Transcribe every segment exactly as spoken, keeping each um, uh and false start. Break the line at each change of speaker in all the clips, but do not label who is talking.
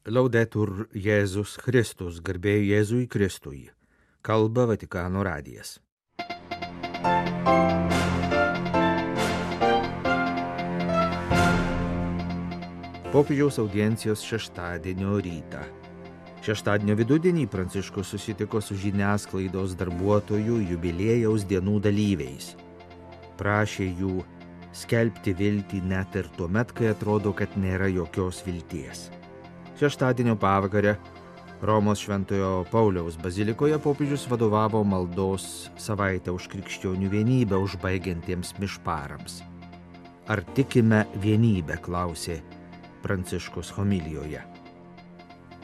Laudetur Jėzus Kristus, garbė Jėzui Kristui. Kalba Vatikano radijas. Popiežiaus audiencijos šeštadienio rytą. Šeštadienio vidudienį Pranciškus susitiko su žiniasklaidos darbuotojų jubiliejaus dienų dalyviais. Prašė jų skelbti viltį net ir tuomet, kai atrodo, kad nėra jokios vilties. Šeštadienio pavakarę Romos Šventojo Pauliaus bazilikoje popiežius vadovavo maldos savaitę už krikščionių vienybę užbaigiantiems mišparams. Ar tikime vienybę, klausė Pranciškus homilijoje.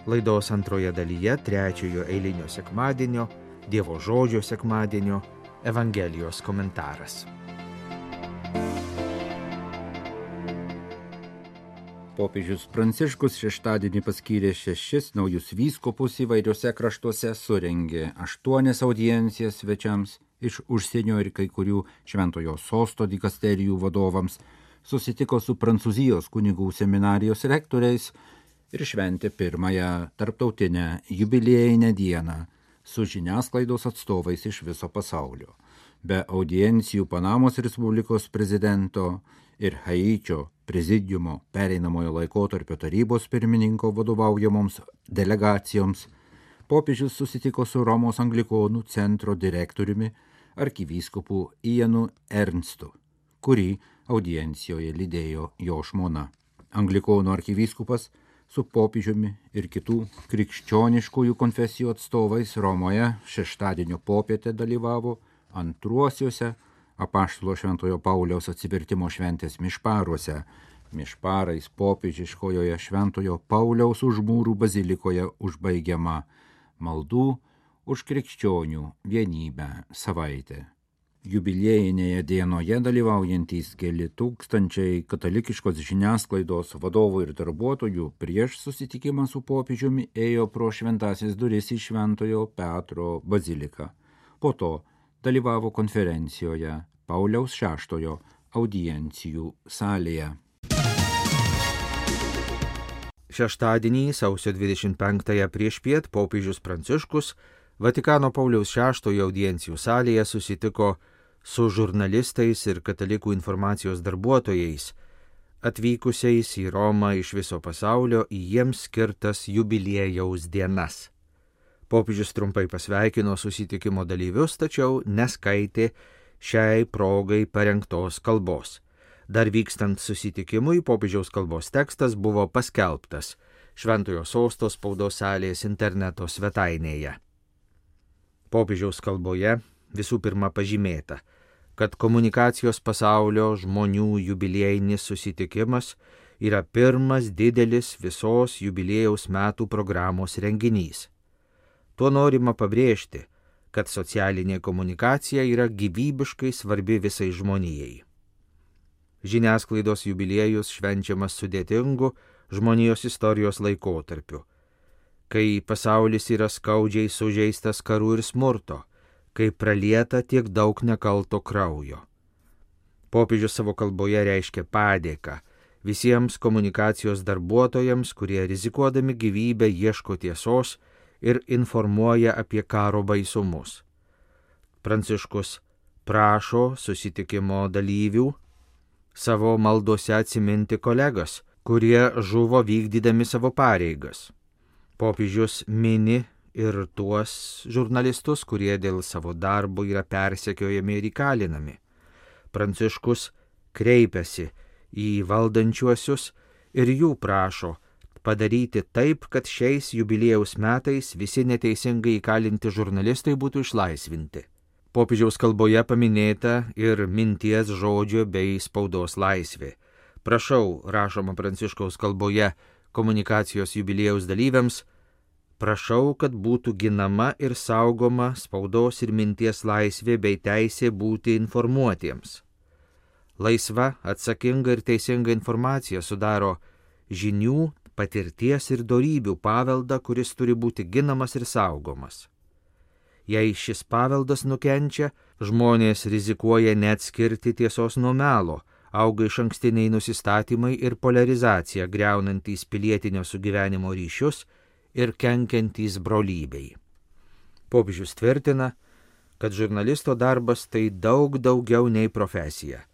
Laidos antroje dalyje trečiojo eilinio sekmadienio, Dievo žodžio sekmadienio, Evangelijos komentaras.
Popiežius Pranciškus šeštadienį paskyrė šešis naujus vyskupus įvairiuose kraštuose, surengė aštuonias audiencijas svečiams iš užsienio ir kai kurių šventojo sosto dikasterijų vadovams, susitiko su Prancūzijos kunigų seminarijos rektoriais ir šventė pirmąją tarptautinę jubiliejinę dieną su žiniasklaidos atstovais iš viso pasaulio. Be audiencijų Panamos Respublikos prezidento ir Haičio prezidiumo pereinamojo laikotarpio tarybos pirmininko vadovaujamoms delegacijoms, popiežius susitiko su Romos anglikonų centro direktoriumi arkivyskupu Ianu Ernstu, kurį audiencijoje lydėjo jo žmona. Anglikonų arkivyskupas su popiežiumi ir kitų krikščioniškųjų konfesijų atstovais Romoje šeštadienio popietę dalyvavo antruosiuose Apaštalo Šventojo Pauliaus atsivertimo šventės mišparuose, mišparais popiežiškojoje Šventojo Pauliaus užmūrų bazilikoje užbaigiama maldų už krikščionių vienybę savaitė. Jubiliejinėje dienoje dalyvaujantys keli tūkstančiai katalikiškos žiniasklaidos vadovų ir darbuotojų prieš susitikimą su popiežiumi ėjo pro šventąsias duris į Šventojo Petro baziliką. Po to dalyvavo konferencijoje Pauliaus šeštojo audiencijų salėje.
Šeštadienį, sausio dvidešimt penktąją priešpiet, popiežius Pranciškus Vatikano Pauliaus šeštojo audiencijų salėje susitiko su žurnalistais ir katalikų informacijos darbuotojais, atvykusiais į Romą iš viso pasaulio į jiems skirtas jubiliejaus dienas. Popiežius trumpai pasveikino susitikimo dalyvius, tačiau neskaitė šiai progai parengtos kalbos. Dar vykstant susitikimui, popiežiaus kalbos tekstas buvo paskelbtas Šventojo sosto spaudos salės interneto svetainėje. Popiežiaus kalboje visų pirma pažymėta, kad komunikacijos pasaulio žmonių jubiliejinis susitikimas yra pirmas didelis visos jubiliejaus metų programos renginys. Tuo norima pabrėžti, kad socialinė komunikacija yra gyvybiškai svarbi visai žmonijai. Žiniasklaidos jubiliejus švenčiamas sudėtingu žmonijos istorijos laikotarpiu, kai pasaulis yra skaudžiai sužeistas karų ir smurto, kai pralieta tiek daug nekalto kraujo. Popiežius savo kalboje reiškia padėką visiems komunikacijos darbuotojams, kurie rizikuodami gyvybę ieško tiesos ir informuoja apie karo baisumus. Pranciškus prašo susitikimo dalyvių savo maldose atsiminti kolegas, kurie žuvo vykdydami savo pareigas. Popiežius mini ir tuos žurnalistus, kurie dėl savo darbo yra persekiojami ir įkalinami. Pranciškus kreipiasi į valdančiuosius ir jų prašo padaryti taip, kad šiais jubiliejaus metais visi neteisingai įkalinti žurnalistai būtų išlaisvinti. Popiežiaus kalboje paminėta ir minties, žodžio bei spaudos laisvė. Prašau, rašoma Pranciškaus kalboje komunikacijos jubiliejaus dalyviams, prašau, kad būtų ginama ir saugoma spaudos ir minties laisvė bei teisė būti informuotiems. Laisva, atsakinga ir teisinga informacija sudaro žinių, patirties ir dorybių paveldą, kuris turi būti ginamas ir saugomas. Jei šis paveldas nukenčia, žmonės rizikuoja neatskirti tiesos nuo melo auga iš ankstiniai nusistatymai ir polarizacija, greunantys pilietinio sugyvenimo ryšius ir kenkiantys brolybei. Popiežius tvirtina, kad žurnalisto darbas tai daug daugiau nei profesija.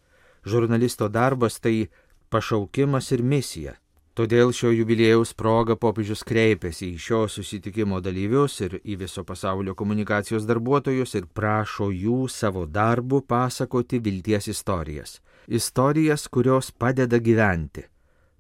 Žurnalisto darbas tai pašaukimas ir misija. Todėl šio jubiliejaus proga popiežius kreipėsi į šio susitikimo dalyvius ir į viso pasaulio komunikacijos darbuotojus ir prašo jų savo darbu pasakoti vilties istorijas. Istorijas, kurios padeda gyventi.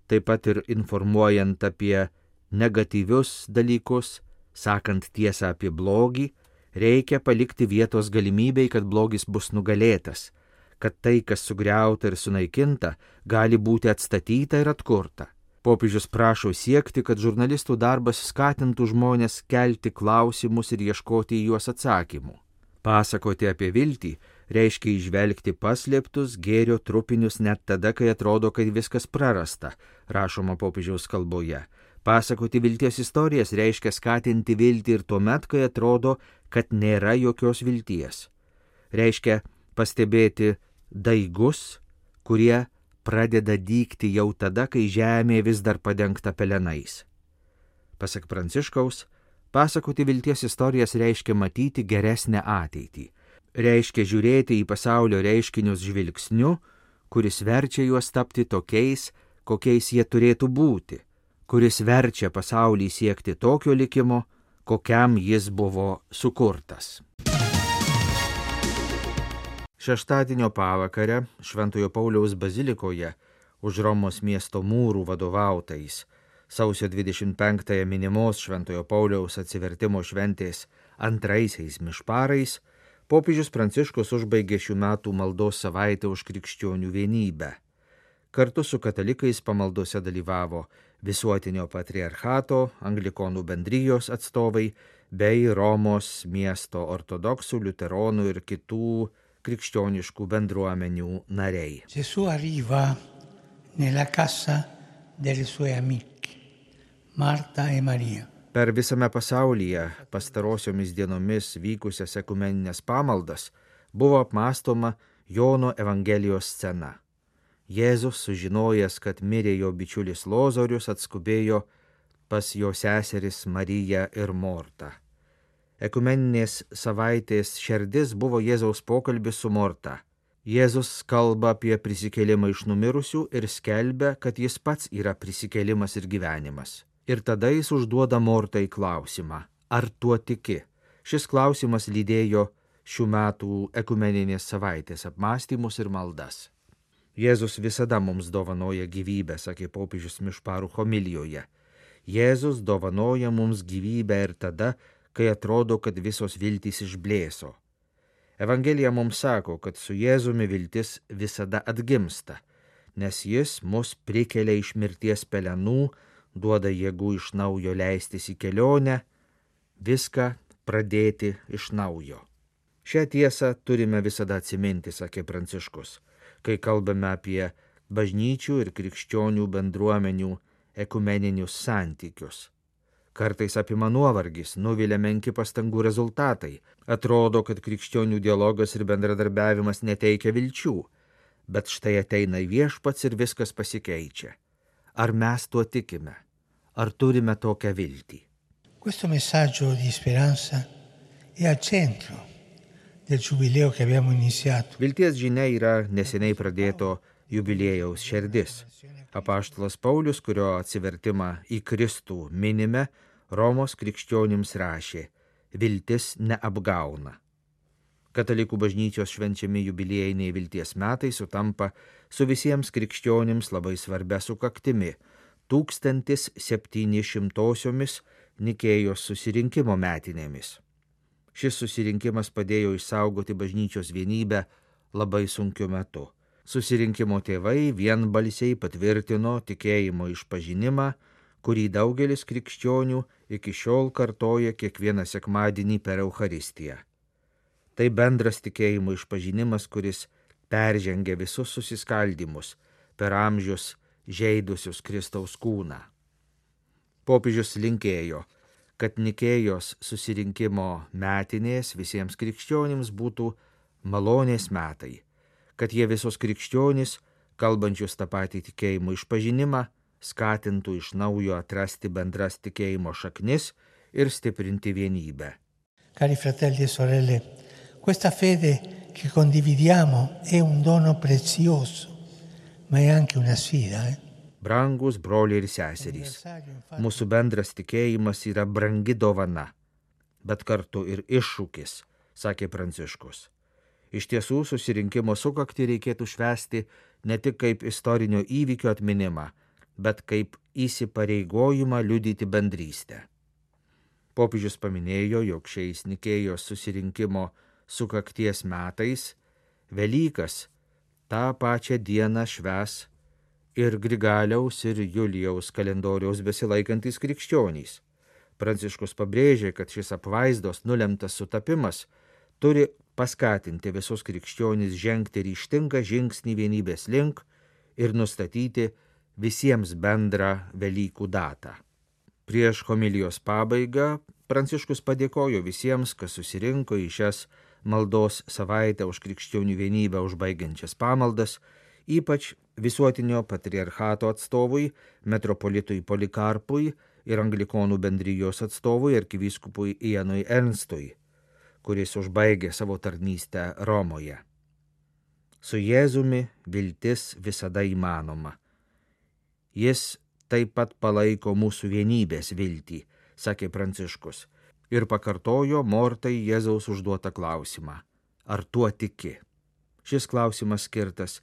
Taip pat ir informuojant apie negatyvius dalykus, sakant tiesą apie blogį, reikia palikti vietos galimybei, kad blogis bus nugalėtas, kad tai, kas sugriauta ir sunaikinta, gali būti atstatyta ir atkurta. Popiežius prašo siekti, kad žurnalistų darbas skatintų žmonės kelti klausimus ir ieškoti į juos atsakymų. Pasakoti apie viltį reiškia įžvelgti paslėptus gėrio trupinius net tada, kai atrodo, kad viskas prarasta, rašoma popiežiaus kalboje. Pasakoti vilties istorijas reiškia skatinti viltį ir tuomet, kai atrodo, kad nėra jokios vilties. Reiškia pastebėti daigus, kurie pradeda dygti jau tada, kai žemė vis dar padengta pelenais. Pasak Pranciškaus, pasakoti vilties istorijas reiškia matyti geresnę ateitį. Reiškia žiūrėti į pasaulio reiškinius žvilgsniu, kuris verčia juos tapti tokiais, kokiais jie turėtų būti, kuris verčia pasaulį siekti tokio likimo, kokiam jis buvo sukurtas. Šeštadienio pavakarę Šventojo Pauliaus bazilikoje už Romos miesto mūrų vadovautais sausio dvidešimt penktąją minimos Šventojo Pauliaus atsivertimo šventės antraisiais mišparais popiežius Pranciškus užbaigė šių metų maldos savaitę už krikščionių vienybę. Kartu su katalikais pamaldose dalyvavo Visuotinio patriarchato, Anglikonų bendrijos atstovai bei Romos miesto ortodoksų, liuteronų ir kitų krikščioniškų bendruomenių nariai.
Gesù arriva nella casa delle sue amiche, Marta e Maria.
Per visame pasaulyje pastarosiomis dienomis vykusias ekumeninės pamaldas buvo apmąstoma Jono Evangelijos scena. Jėzus, sužinojęs, kad mirė jo bičiulis Lozorius, atskubėjo pas jo seseris Mariją ir Mortą. Ekumeninės savaitės šerdis buvo Jėzaus pokalbis su Morta. Jėzus kalba apie prisikėlimą iš numirusių ir skelbia, kad jis pats yra prisikėlimas ir gyvenimas. Ir tada jis užduoda Mortai klausimą, ar tuo tiki? Šis klausimas lydėjo šių metų ekumeninės savaitės apmąstymus ir maldas. Jėzus visada mums dovanoja gyvybę, sakė popiežius mišparų homilijoje. Jėzus dovanoja mums gyvybę ir tada, kai atrodo, kad visos viltys išblėso. Evangelija mums sako, kad su Jėzumi viltis visada atgimsta, nes jis mus prikelia iš mirties pelenų, duoda jėgų iš naujo leistis į kelionę, viską pradėti iš naujo. Šią tiesą turime visada atsiminti, sakė Pranciškus, kai kalbame apie bažnyčių ir krikščionių bendruomenių ekumeninius santykius. Kartais apima nuovargis, nuvilia menki pastangų rezultatai. Atrodo, kad krikščionių dialogas ir bendradarbiavimas neteikia vilčių, bet štai ateina Viešpats ir viskas pasikeičia. Ar mes tuo tikime? Ar turime tokią viltį?
Questo messaggio di speranza è al centro del giubileo che abbiamo iniziato.
Vilties žinia yra neseniai pradėto jubiliejaus šerdis. Apaštalas Paulius, kurio atsivertimą į Kristų minime, Romos krikščionims rašė: viltis neapgauna. Katalikų bažnyčios švenčiami jubiliejiniai vilties metai sutampa su visiems krikščionims labai svarbia sukaktimi – tūkstantis septyni šimtosiomis Nikėjos susirinkimo metinėmis. Šis susirinkimas padėjo išsaugoti bažnyčios vienybę labai sunkiu metu. Susirinkimo tėvai vienbalsiai patvirtino tikėjimo išpažinimą, kurį daugelis krikščionių iki šiol kartoja kiekvieną sekmadienį per Eucharistiją. Tai bendras tikėjimo išpažinimas, kuris peržengia visus susiskaldimus per amžius žeidusius Kristaus kūną. Popiežius linkėjo, kad Nikėjos susirinkimo metinės visiems krikščionims būtų malonės metai, kad jie visos krikščionys kalbančius tą patį tikėjimo išpažinimą, skatintų iš naujo atrasti bendras tikėjimo šaknis ir stiprinti vienybę.
Cari fratelli e sorelle, questa fede che condividiamo è un dono prezioso, ma è anche una sfida. Eh?
Brangus broliai ir seserys, mūsų bendras tikėjimas yra brangi dovana, bet kartu ir iššūkis, sakė Pranciškus. Iš tiesų susirinkimo sukaktį reikėtų švęsti ne tik kaip istorinio įvykio atminimą, bet kaip įsipareigojimą liudyti bendrystę. Popiežius paminėjo, jog šiais Nikėjos susirinkimo sukakties metais Velykas tą pačią dieną švęs ir Grigaliaus ir Julijaus kalendoriaus besilaikantis krikščionys. Pranciškus pabrėžė, kad šis apvaizdos nulemtas sutapimas turi paskatinti visus krikščionys žengti ryžtingą žingsnį vienybės link ir nustatyti visiems bendrą Velykų datą. Prieš homilijos pabaigą Pranciškus padėkojo visiems, kas susirinko į šias maldos savaitę už krikščionių vienybę užbaigiančias pamaldas, ypač visuotinio patriarchato atstovui, metropolitui Polikarpui ir anglikonų bendrijos atstovui arkivyskupui Ianui Ernstui, kuris užbaigė savo tarnystę Romoje. Su Jėzumi viltis visada įmanoma. Jis taip pat palaiko mūsų vienybės viltį, sakė Pranciškus, ir pakartojo Mortai Jėzaus užduotą klausimą. Ar tuo tiki? Šis klausimas skirtas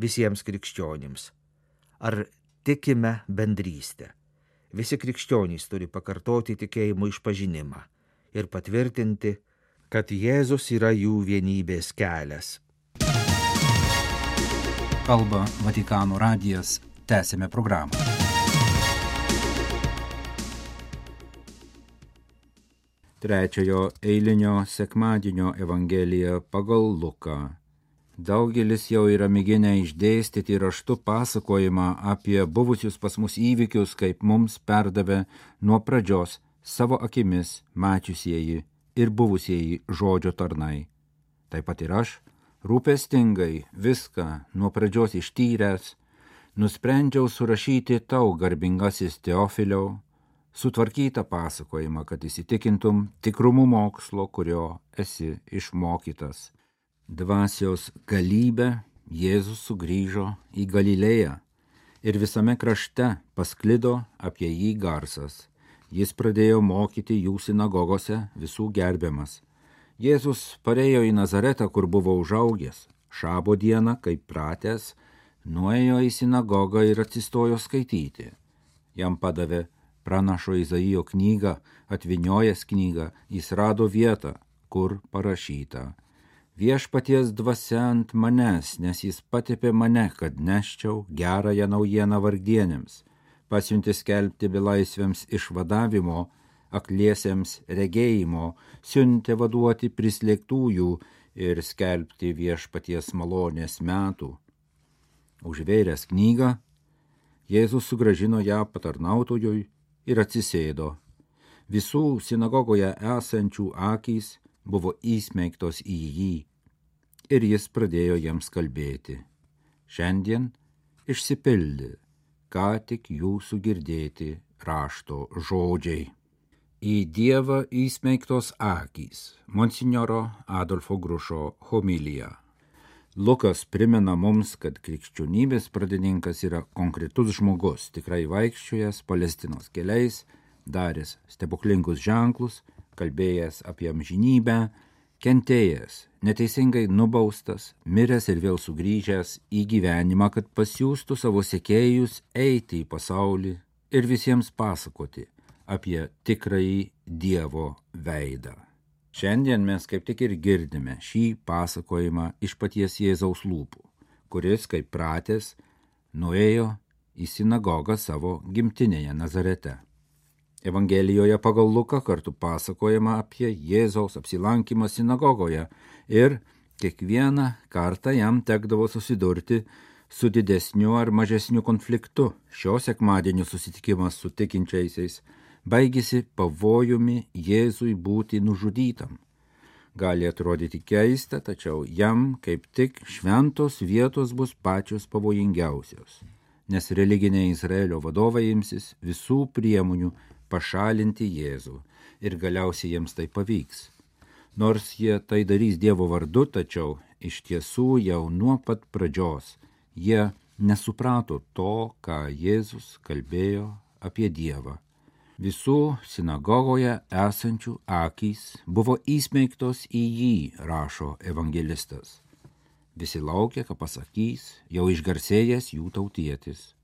visiems krikščionims. Ar tikime bendrystę? Visi krikščionys turi pakartoti tikėjimo išpažinimą ir patvirtinti, kad Jėzus yra jų vienybės kelias.
Kalba Vatikano radijas. Tęsime programą. Trečiojo eilinio sekmadienio Evangelija pagal Luką. Daugelis jau yra mėginę išdėstyti raštu pasakojimą apie buvusius pas mus įvykius, kaip mums perdavė nuo pradžios savo akimis mačiusieji ir buvusieji žodžio tarnai. Taip pat ir aš, rūpestingai viską nuo pradžios ištyręs, nusprendžiau surašyti tau, garbingasis Teofiliau, sutvarkytą pasakojimą, kad įsitikintum tikrumu mokslo, kurio esi išmokytas. Dvasios galybę Jėzus sugrįžo į Galilėją ir visame krašte pasklido apie jį garsas. Jis pradėjo mokyti jų sinagogose, visų gerbiamas. Jėzus parėjo į Nazaretą, kur buvo užaugęs. Šabo dieną, kaip pratęs, nuėjo į sinagogą ir atsistojo skaityti. Jam padavė pranašo Izaijo knygą, atvyniojęs knygą, jis rado vietą, kur parašyta: Viešpaties dvasia ant manęs, nes jis patepė mane, kad neščiau gerąją naujieną vargdienėms, pasiuntė skelbti belaisviams išvadavimo, akliesiems regėjimo, siuntė vaduoti prislėgtųjų ir skelbti viešpaties malonės metų. Užvėręs knygą, Jėzus sugrąžino ją patarnautojui ir atsisėdo. Visų sinagogoje esančių akys buvo įsmeigtos į jį ir jis pradėjo jiems kalbėti. Šiandien išsipildė, ką tik jūsų girdėti rašto žodžiai. Į Dievą įsmeigtos akys. Monsinjoro Adolfo Grušo homilija. Lukas primena mums, kad krikščionybės pradininkas yra konkretus žmogus, tikrai vaikščiojęs Palestinos keliais, daręs stebuklingus ženklus, kalbėjęs apie amžinybę, kentėjęs, neteisingai nubaustas, miręs ir vėl sugrįžęs į gyvenimą, kad pasiųstų savo sekėjus eiti į pasaulį ir visiems pasakoti apie tikrąjį Dievo veidą. Šiandien mes kaip tik ir girdime šį pasakojimą iš paties Jėzaus lūpų, kuris, kaip pratęs, nuėjo į sinagogą savo gimtinėje Nazarete. Evangelijoje pagal Luką kartu pasakojama apie Jėzaus apsilankymą sinagogoje ir kiekvieną kartą jam tekdavo susidurti su didesniu ar mažesniu konfliktu. Šio sekmadienio susitikimas su tikinčiaisiais baigėsi pavojumi Jėzui būti nužudytam. Gali atrodyti keista, tačiau jam kaip tik šventos vietos bus pačios pavojingiausios, nes religiniai Izraelio vadovai imsis visų priemonių pašalinti Jėzų ir galiausiai jiems tai pavyks. Nors jie tai darys Dievo vardu, tačiau iš tiesų jau nuo pat pradžios jie nesuprato to, ką Jėzus kalbėjo apie Dievą. Visų sinagogoje esančių akys buvo įsmeigtos į jį, rašo evangelistas. Visi laukia, ką pasakys jau išgarsėjęs jų tautietis.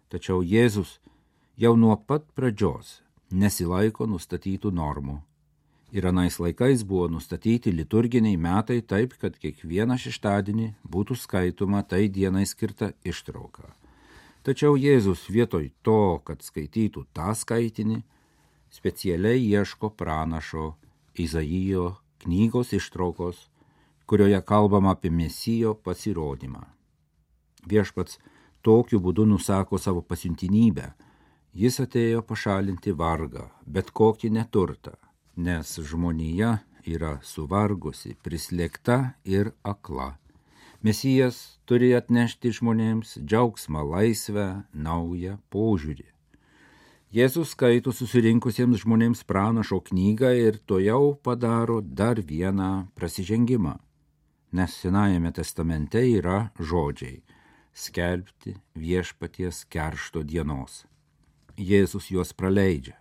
Tačiau Jėzus jau nuo pat pradžios nesilaiko nustatytų normų. Ir anais laikais buvo nustatyti liturginiai metai taip, kad kiekvieną šeštadienį būtų skaitoma tai dienai skirta ištrauka. Tačiau Jėzus vietoj to, kad skaitytų tą skaitinį, specialiai ieško pranašo Izaijo knygos ištraukos, kurioje kalbama apie Mesijo pasirodymą. Viešpats tokiu būdu nusako savo pasiuntinybę. Jis atėjo pašalinti vargą, bet kokį neturtą, nes žmonija yra suvargusi, prislėgta ir akla. Mesijas turi atnešti žmonėms džiaugsmą, laisvę, naują požiūrį. Jėzus skaito susirinkusiems žmonėms pranašo knygą ir tojau padaro dar vieną prasižengimą, nes Senajame testamente yra žodžiai skelbti viešpaties keršto dienos. Jėzus juos praleidžia,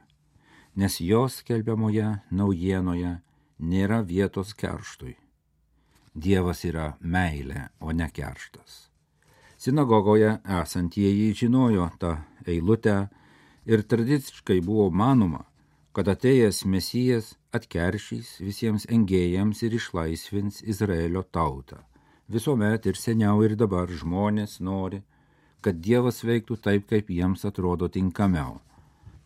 nes jos skelbiamoje naujienoje nėra vietos kerštui. Dievas yra meilė, o ne kerštas. Sinagogoje esantieji žinojo tą eilutę ir tradiciškai buvo manoma, kad atėjęs Mesijas atkeršys visiems engėjams ir išlaisvins Izraelio tautą. Visuomet ir seniau ir dabar žmonės nori, kad Dievas veiktų taip, kaip jiems atrodo tinkamiau.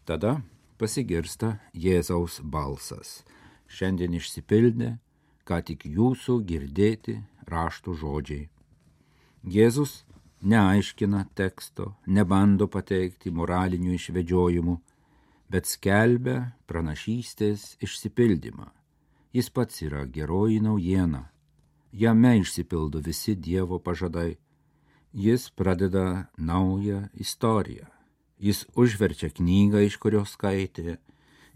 Tada pasigirsta Jėzaus balsas. Šiandien išsipildė, ką tik jūsų girdėti rašto žodžiai. Jėzus neaiškina teksto, nebando pateikti moralinių išvedžiojimų, bet skelbia pranašystės išsipildymą. Jis pats yra geroji naujiena. Jame išsipildo visi Dievo pažadai. Jis pradeda naują istoriją. Jis užverčia knygą, iš kurios skaitė,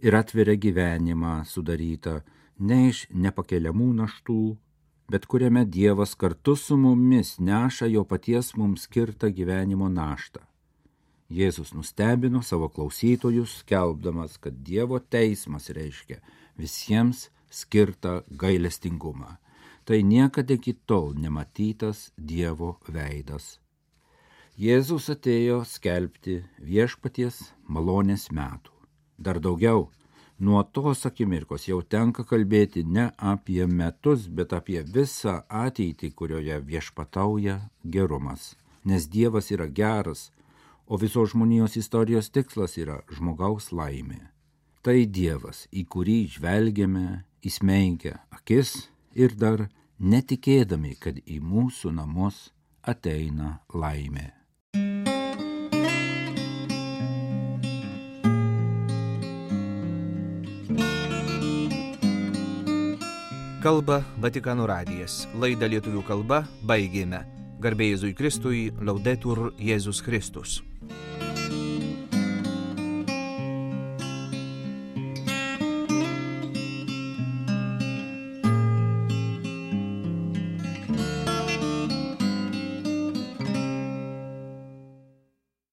ir atveria gyvenimą sudarytą ne iš nepakeliamų naštų, bet kuriame Dievas kartu su mumis neša jo paties mums skirtą gyvenimo naštą. Jėzus nustebino savo klausytojus, skelbdamas, kad Dievo teismas reiškia visiems skirtą gailestingumą. Tai niekada iki tol nematytas Dievo veidas. Jėzus atėjo skelbti viešpaties malonės metų. Dar daugiau, nuo tos akimirkos jau tenka kalbėti ne apie metus, bet apie visą ateitį, kurioje viešpatauja gerumas. Nes Dievas yra geras, o visos žmonijos istorijos tikslas yra žmogaus laimė. Tai Dievas, į kurį žvelgiame, įsmeigia akis ir dar netikėdami, kad į mūsų namus ateina laimė.
Kalba Vatikano radijas. Laidą lietuvių kalba baigėme. Garbė Jėzui Kristui, Laudetur Jėzus Kristus.